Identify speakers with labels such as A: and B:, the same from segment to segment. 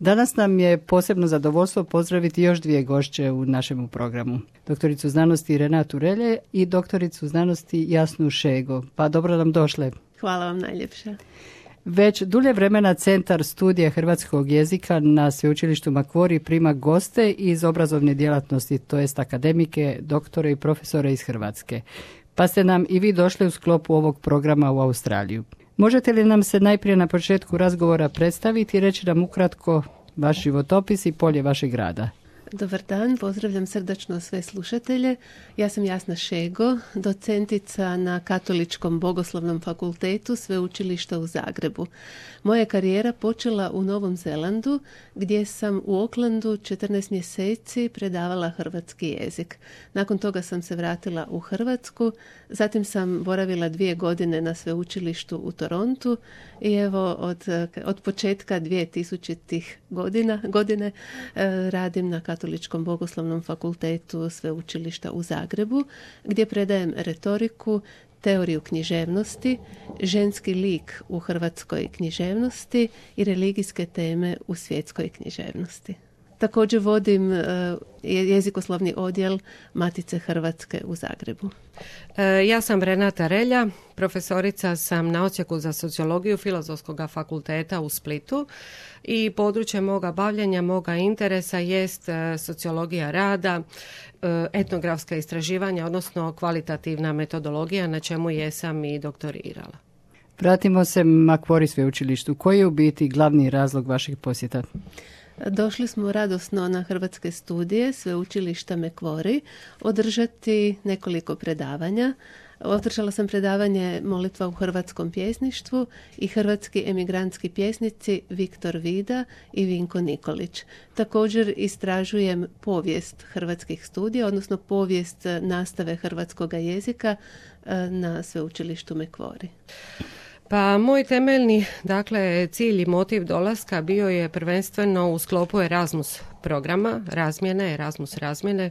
A: Danas nam je posebno zadovoljstvo pozdraviti još dvije gošće u našem programu. Doktoricu znanosti Renatu Relje i doktoricu znanosti Jasnu Šego. Pa dobro nam došle.
B: Hvala vam najljepša.
A: Već dulje vremena Centar studija hrvatskog jezika na Sveučilištu Macquarie prima goste iz obrazovne djelatnosti, to jest akademike, doktore i profesore iz Hrvatske. Pa ste nam i vi došli u sklopu ovog programa u Australiju. Možete li nam se najprije na početku razgovora predstaviti i reći nam ukratko vaš životopis i polje vašeg rada?
B: Dobar dan, pozdravljam srdačno sve slušatelje. Ja sam Jasna Šego, docentica na Katoličkom bogoslovnom fakultetu Sveučilišta u Zagrebu. Moja je karijera počela u Novom Zelandu, gdje sam u Aucklandu 14 mjeseci predavala hrvatski jezik. Nakon toga sam se vratila u Hrvatsku, zatim sam boravila 2 godine na sveučilištu u Torontu i evo od početka 2000-ih godine radim na Katoličkom bogoslovnom fakultetu Sveučilišta u Zagrebu, gdje predajem retoriku, teoriju književnosti, ženski lik u hrvatskoj književnosti i religijske teme u svjetskoj književnosti. Također vodim jezikoslovni odjel Matice Hrvatske u Zagrebu.
C: Ja sam Renata Relja, profesorica sam na odsjeku za sociologiju Filozofskog fakulteta u Splitu i područje moga bavljenja, moga interesa jest sociologija rada, etnografska istraživanja, odnosno kvalitativna metodologija, na čemu jesam i doktorirala.
A: Vratimo se Macquarie sveučilištu. Koji je u biti glavni razlog vašeg posjeta?
B: Došli smo radosno na hrvatske studije Sveučilišta Macquarie održati nekoliko predavanja. Održala sam predavanje Molitva u hrvatskom pjesništvu i hrvatski emigrantski pjesnici Viktor Vida i Vinko Nikolić. Također istražujem povijest hrvatskih studija, odnosno povijest nastave hrvatskoga jezika na Sveučilištu Macquarie.
C: Pa moj temeljni, cilj i motiv dolaska bio je prvenstveno u sklopu Erasmus programa, Erasmus razmjene,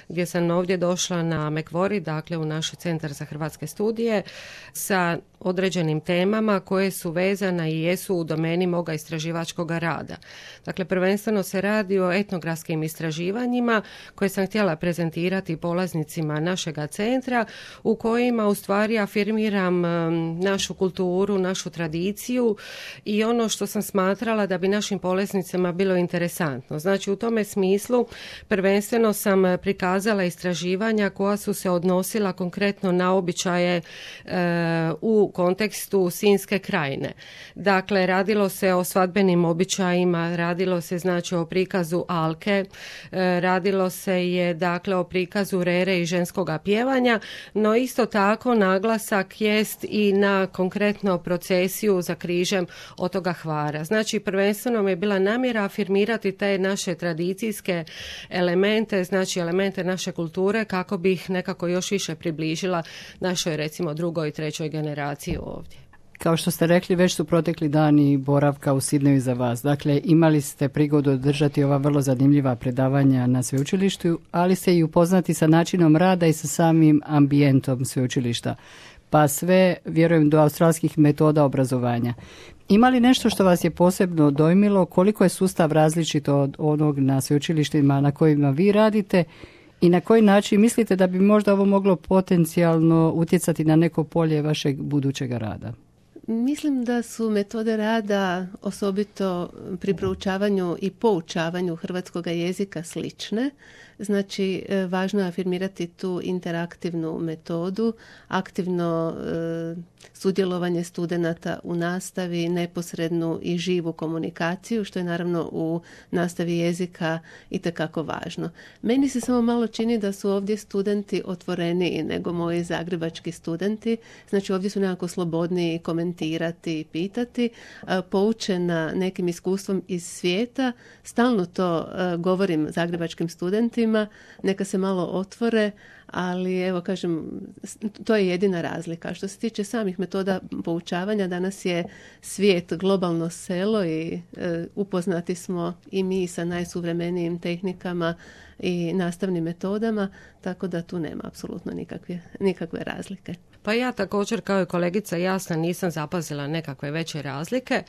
C: gdje sam ovdje došla na Macquarie, u naš centar za hrvatske studije, sa određenim temama koje su vezane i jesu u domeni moga istraživačkog rada. Dakle, prvenstveno se radi o etnografskim istraživanjima koje sam htjela prezentirati polaznicima našega centra, u kojima u stvari afirmiram našu kulturu, našu tradiciju i ono što sam smatrala da bi našim polaznicima bilo interesantno. Znači, u tome smislu prvenstveno sam prikazala istraživanja koja su se odnosila konkretno na običaje u kontekstu Sinjske krajine. Dakle, radilo se o svadbenim običajima, radilo se o prikazu alke, radilo se je o prikazu rere i ženskoga pjevanja, no isto tako naglasak jest i na konkretno procesiju za križem otoga Hvara. Znači, prvenstveno mi je bila namjera afirmirati te naše tradicijske elemente, elemente naše kulture, kako bi ih nekako još više približila našoj, recimo, 2. i 3. generaciji ovdje.
A: Kao što ste rekli, već su protekli dani boravka u Sidneju za vas. Dakle, imali ste prigodu održati ova vrlo zanimljiva predavanja na sveučilištu, ali ste i upoznati sa načinom rada i sa samim ambijentom sveučilišta. Pa sve, vjerujem, do australskih metoda obrazovanja. Ima li nešto što vas je posebno dojmilo? Koliko je sustav različit od onog na sveučilištima na kojima vi radite i na koji način mislite da bi možda ovo moglo potencijalno utjecati na neko polje vašeg budućeg rada?
B: Mislim da su metode rada, osobito pri proučavanju i poučavanju hrvatskog jezika, slične. Znači, važno je afirmirati tu interaktivnu metodu, aktivno sudjelovanje studenata u nastavi, neposrednu i živu komunikaciju, što je naravno u nastavi jezika itekako važno. Meni se samo malo čini da su ovdje studenti otvoreniji nego moji zagrebački studenti. Znači, ovdje su nekako slobodniji komentirati i pitati. Poučena nekim iskustvom iz svijeta, stalno to govorim zagrebačkim studentima, neka se malo otvore, ali evo kažem, to je jedina razlika. Što se tiče samih metoda poučavanja, danas je svijet globalno selo i upoznati smo i mi sa najsuvremenijim tehnikama i nastavnim metodama, tako da tu nema apsolutno nikakve razlike.
C: Pa ja također kao i kolegica Jasna nisam zapazila nekakve veće razlike.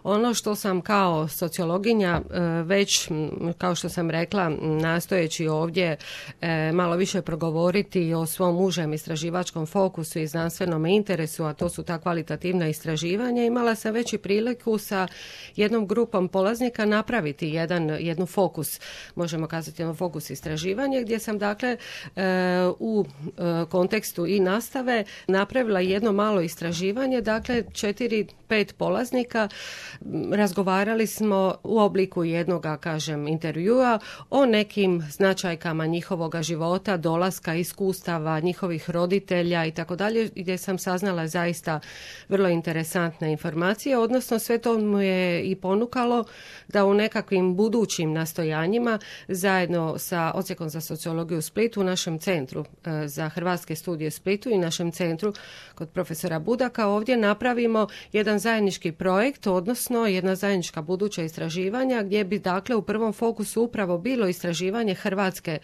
C: Ono što sam kao sociologinja već, kao što sam rekla, nastojeći ovdje malo više progovoriti o svom užem istraživačkom fokusu i znanstvenom interesu, a to su ta kvalitativna istraživanja, imala sam već i priliku sa jednom grupom polaznika napraviti jednu fokus, možemo kazati jednu fokus istraživanja, gdje sam dakle u kontekstu i nastave napravila jedno malo istraživanje, dakle 4-5 polaznika, razgovarali smo u obliku jednoga, kažem, intervjua o nekim značajkama njihovoga života, dolaska, iskustava, njihovih roditelja i tako dalje, gdje sam saznala zaista vrlo interesantne informacije, odnosno sve to mu je i ponukalo da u nekakvim budućim nastojanjima zajedno sa Odsjekom za sociologiju u Splitu, u našem centru za hrvatske studije u Splitu i našem centru kod profesora Budaka ovdje napravimo jedan zajednički projekt, odnosno jedna zajednička buduća istraživanja gdje bi dakle u prvom fokusu upravo bilo istraživanje hrvatske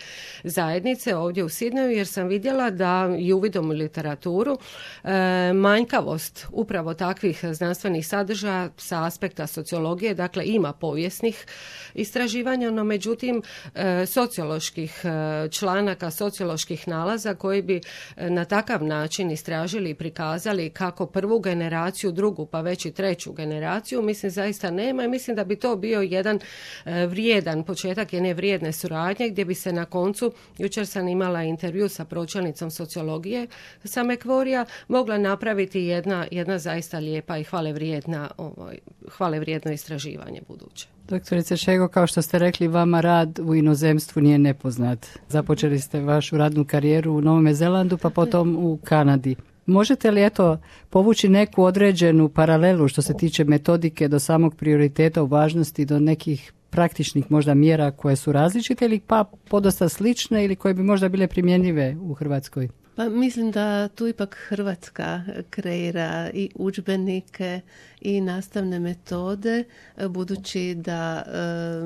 C: zajednice ovdje u Sidneju, jer sam vidjela da i uvidom u literaturu manjkavost upravo takvih znanstvenih sadržaja sa aspekta sociologije, dakle ima povijesnih istraživanja, no međutim socioloških članaka, socioloških nalaza koji bi na takav način istražili i prikazali kako prvu generaciju, drugu pa već i treću generaciju, mislim zaista nema i mislim da bi to bio jedan vrijedan početak jedne vrijedne suradnje gdje bi se na koncu, jučer sam imala intervju sa pročelnicom sociologije sa Mekvorija, mogla napraviti jedna zaista lijepa i hvalevrijedno istraživanje buduće.
A: Doktorice Šego, kao što ste rekli, vama rad u inozemstvu nije nepoznat. Započeli ste vašu radnu karijeru u Novom Zelandu, pa potom u Kanadi. Možete li povući neku određenu paralelu što se tiče metodike do samog prioriteta u važnosti do nekih praktičnih možda mjera koje su različite ili pa podosta slične ili koje bi možda bile primjenjive u Hrvatskoj?
B: Pa mislim da tu ipak Hrvatska kreira i udžbenike i nastavne metode, budući da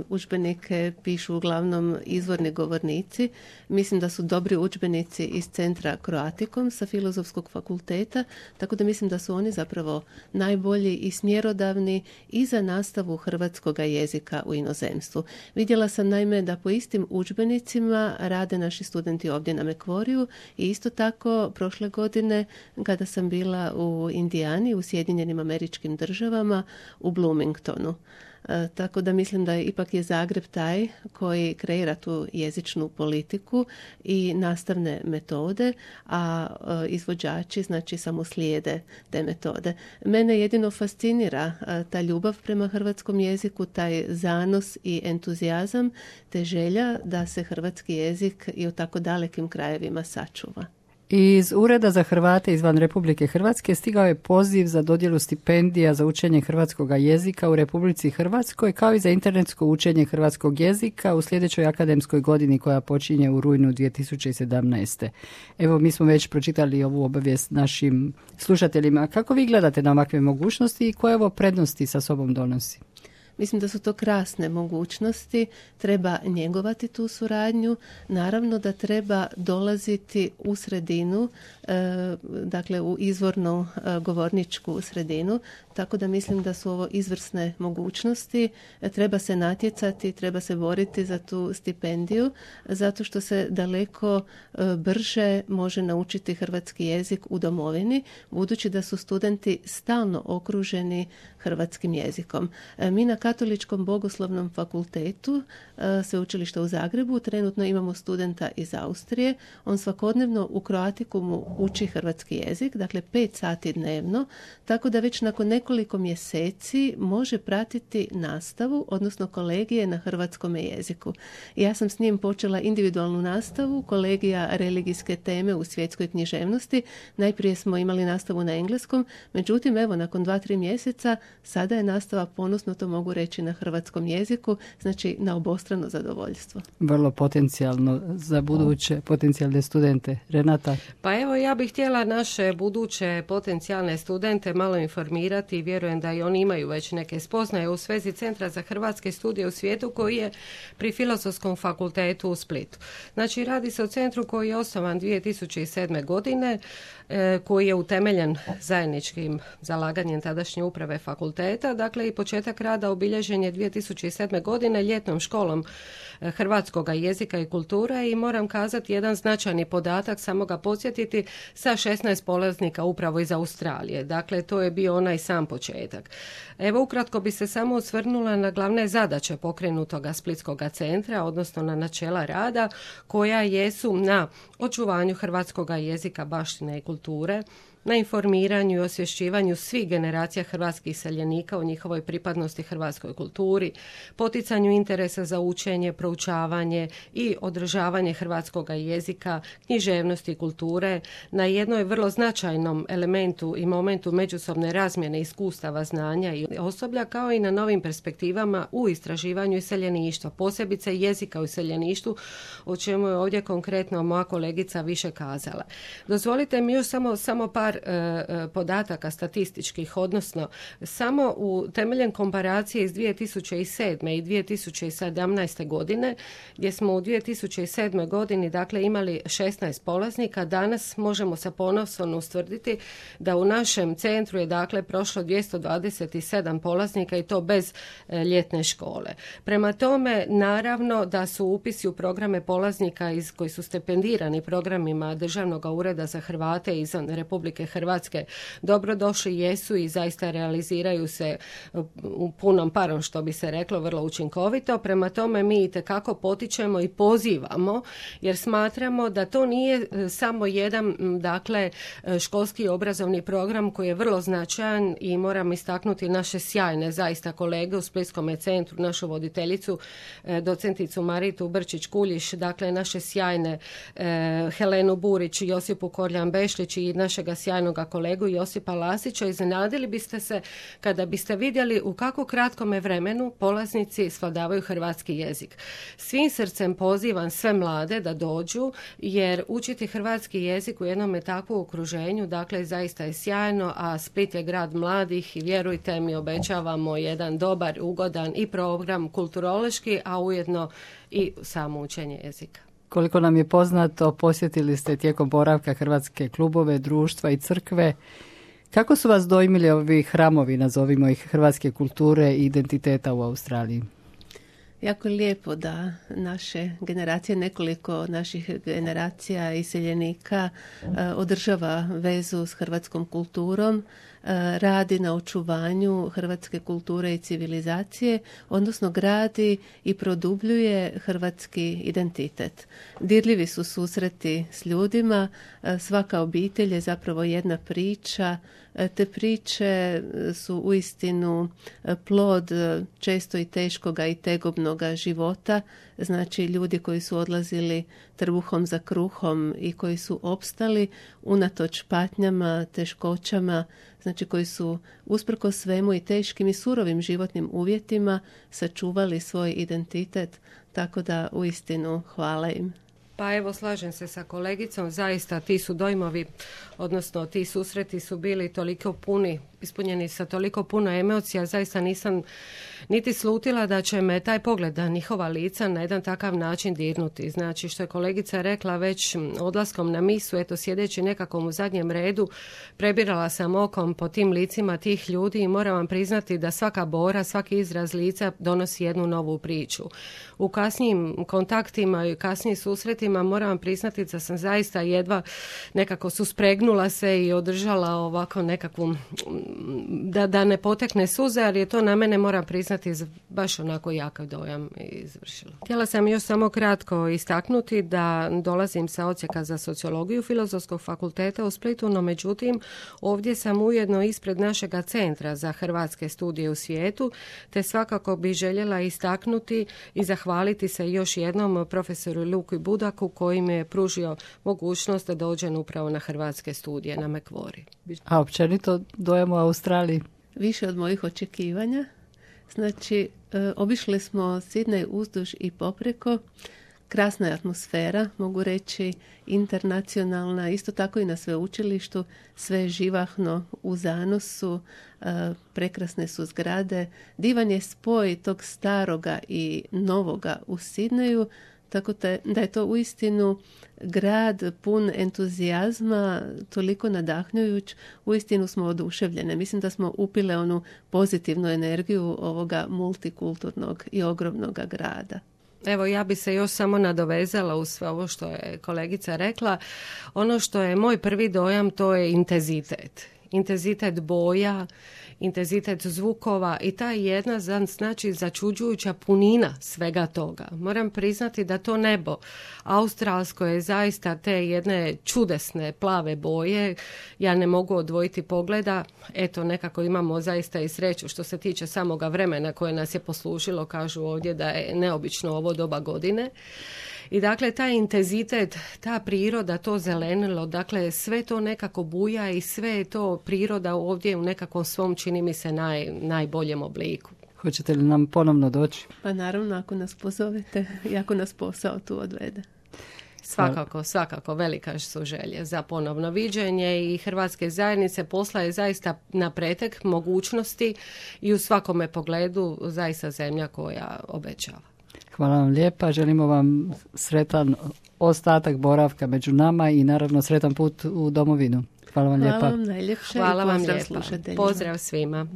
B: udžbenike pišu uglavnom izvorni govornici. Mislim da su dobri udžbenici iz centra Croaticum sa Filozofskog fakulteta, tako da mislim da su oni zapravo najbolji i smjerodavni i za nastavu hrvatskog jezika u inozemstvu. Vidjela sam naime da po istim udžbenicima rade naši studenti ovdje na Mekvoriju i isto tako prošle godine kada sam bila u Indijani, u Sjedinjenim Američkim Državama, u Bloomingtonu. Tako da mislim da ipak je Zagreb taj koji kreira tu jezičnu politiku i nastavne metode, a izvođači znači samo slijede te metode. Mene jedino fascinira ta ljubav prema hrvatskom jeziku, taj zanos i entuzijazam, te želja da se hrvatski jezik i u tako dalekim krajevima sačuva.
A: Iz Ureda za Hrvate izvan Republike Hrvatske stigao je poziv za dodjelu stipendija za učenje hrvatskog jezika u Republici Hrvatskoj, kao i za internetsko učenje hrvatskog jezika u sljedećoj akademskoj godini koja počinje u rujnu 2017. Evo, mi smo već pročitali ovu obavijest našim slušateljima. Kako vi gledate na ovakve mogućnosti i koje ovo prednosti sa sobom donosi?
B: Mislim da su to krasne mogućnosti, treba njegovati tu suradnju, naravno da treba dolaziti u sredinu, dakle u izvornu govorničku sredinu, tako da mislim da su ovo izvrsne mogućnosti, treba se natjecati, treba se boriti za tu stipendiju, zato što se daleko brže može naučiti hrvatski jezik u domovini, budući da su studenti stalno okruženi hrvatskim jezikom. Mi na Katoličkom bogoslovnom fakultetu sveučilišta u Zagrebu trenutno imamo studenta iz Austrije. On svakodnevno u Croaticumu uči hrvatski jezik, dakle 5 sati dnevno, tako da već nakon nekoliko mjeseci može pratiti nastavu, odnosno kolegije na hrvatskom jeziku. Ja sam s njim počela individualnu nastavu, kolegija religijske teme u svjetskoj književnosti. Najprije smo imali nastavu na engleskom, međutim, evo, nakon 2-3 mjeseca sada je nastava, ponosno to mogu reći na hrvatskom jeziku, znači na obostrano zadovoljstvo.
A: Vrlo potencijalno za buduće potencijalne studente. Renata?
C: Pa evo, ja bih htjela naše buduće potencijalne studente malo informirati i vjerujem da i oni imaju već neke spoznaje u svezi Centra za hrvatske studije u svijetu koji je pri Filozofskom fakultetu u Splitu. Znači, radi se o centru koji je osnovan 2007. godine, koji je utemeljen zajedničkim zalaganjem tadašnje uprave fakulteta. Dakle, i početak rada obilježen je 2007. godine ljetnom školom hrvatskoga jezika i kulture i moram kazati jedan značajni podatak, samo ga podsjetiti, sa 16 polaznika upravo iz Australije. Dakle, to je bio onaj sam početak. Evo, ukratko bi se samo osvrnula na glavne zadaće pokrenutoga Splitskoga centra, odnosno na načela rada, koja jesu na očuvanju hrvatskoga jezika, baštine i kulture, na informiranju i osvješćivanju svih generacija hrvatskih iseljenika o njihovoj pripadnosti hrvatskoj kulturi, poticanju interesa za učenje, proučavanje i održavanje hrvatskog jezika, književnosti i kulture, na jednoj vrlo značajnom elementu i momentu međusobne razmjene iskustava, znanja i osoblja, kao i na novim perspektivama u istraživanju iseljeništva, posebice jezika u iseljeništvu, o čemu je ovdje konkretno moja kolegica više kazala. Dozvolite mi još samo par podataka statističkih, odnosno samo u temeljem komparacije iz 2007. i 2017. godine, gdje smo u 2007. godini dakle imali 16 polaznika, danas možemo sa ponosom ustvrditi da u našem centru je dakle prošlo 227 polaznika i to bez ljetne škole. Prema tome, naravno da su upisi u programe polaznika koji su stipendirani programima Državnog ureda za Hrvate izvan Republike Hrvatske dobrodošli, jesu i zaista realiziraju se u punom parom, što bi se reklo, vrlo učinkovito. Prema tome mi itekako potičemo i pozivamo, jer smatramo da to nije samo jedan dakle školski obrazovni program koji je vrlo značajan i moram istaknuti naše sjajne zaista kolege u Splitskom centru, našu voditeljicu docenticu Maritu Brčić-Kuljiš, dakle naše sjajne Helenu Burić, Josipu Korljan-Bešlić i našega sjajnog kolegu Josipa Lasića. Iznenadili biste se kada biste vidjeli u kako kratkome vremenu polaznici svladavaju hrvatski jezik. Svim srcem pozivam sve mlade da dođu, jer učiti hrvatski jezik u jednom takvom okruženju, dakle, zaista je sjajno, a Split je grad mladih i vjerujte mi, obećavamo jedan dobar, ugodan i program kulturološki, a ujedno i samo učenje jezika.
A: Koliko nam je poznato, posjetili ste tijekom boravka hrvatske klubove, društva i crkve. Kako su vas dojmili ovi hramovi, nazovimo ih, hrvatske kulture i identiteta u Australiji?
B: Jako je lijepo da naše generacije, nekoliko naših generacija iseljenika održava vezu s hrvatskom kulturom, radi na očuvanju hrvatske kulture i civilizacije, odnosno gradi i produbljuje hrvatski identitet. Dirljivi su susreti s ljudima, svaka obitelj je zapravo jedna priča, te priče su uistinu plod često i teškoga i tegobnoga života, znači ljudi koji su odlazili trbuhom za kruhom i koji su opstali unatoč patnjama, teškoćama, znači koji su usprkos svemu i teškim i surovim životnim uvjetima sačuvali svoj identitet, tako da uistinu hvala im.
C: Pa evo, slažem se sa kolegicom, zaista ti su dojmovi, odnosno ti susreti su bili toliko puni, ispunjeni sa toliko puno emocija, zaista nisam niti slutila da će me taj pogled na njihova lica na jedan takav način dirnuti. Znači, što je kolegica rekla, već odlaskom na misu, eto, sjedeći nekako u zadnjem redu, prebirala sam okom po tim licima tih ljudi i moram vam priznati da svaka bora, svaki izraz lica donosi jednu novu priču. U kasnijim kontaktima i kasnijim susretima moram vam priznati da sam zaista jedva nekako suspregnula se i održala ovako nekakvu, da ne potekne suze, ali je to na mene, moram priznati, baš onako jakav dojam izvršilo. Htjela sam još samo kratko istaknuti da dolazim sa odsjeka za sociologiju Filozofskog fakulteta u Splitu, no međutim ovdje sam ujedno ispred našega Centra za hrvatske studije u svijetu, te svakako bi željela istaknuti i zahvaliti se još jednom profesoru Luki Budaku koji mi je pružio mogućnost da dođem upravo na hrvatske studije na Macquarie.
A: A općenito dojam u Australiji?
B: Više od mojih očekivanja. Znači, obišli smo Sidney uzduž i popreko. Krasna je atmosfera, mogu reći, internacionalna, isto tako i na sveučilištu, sve je živahno u zanosu, prekrasne su zgrade. Divan je spoj tog staroga i novoga u Sidneju, tako da je to uistinu grad pun entuzijazma, toliko nadahnjujuć, uistinu smo oduševljene. Mislim da smo upile onu pozitivnu energiju ovoga multikulturnog i ogromnog grada.
C: Evo, ja bi se još samo nadovezala uz sve ovo što je kolegica rekla. Ono što je moj prvi dojam, to je intenzitet. Intenzitet boja, intenzitet zvukova i ta jedna, znači, začuđujuća punina svega toga. Moram priznati da to nebo australsko je zaista te jedne čudesne plave boje. Ja ne mogu odvojiti pogleda. Eto, nekako imamo zaista i sreću što se tiče samoga vremena koje nas je poslužilo, kažu ovdje da je neobično ovo doba godine. I dakle, taj intenzitet, ta priroda, to zelenilo, dakle, sve to nekako buja i sve je to priroda ovdje u nekakvom svom, čini mi se, najboljem obliku.
A: Hoćete li nam ponovno doći?
B: Pa naravno, ako nas pozovete i ako nas posao tu odvede.
C: Svakako, velika su želje za ponovno viđenje i Hrvatske zajednice posla je zaista na pretek mogućnosti i u svakome pogledu zaista zemlja koja obećava.
A: Hvala vam lijepa, želimo vam sretan ostatak boravka među nama i naravno sretan put u domovinu. Hvala vam lijepa.
B: Hvala vam najljepše i pozdrav slušateljima.
C: Pozdrav svima.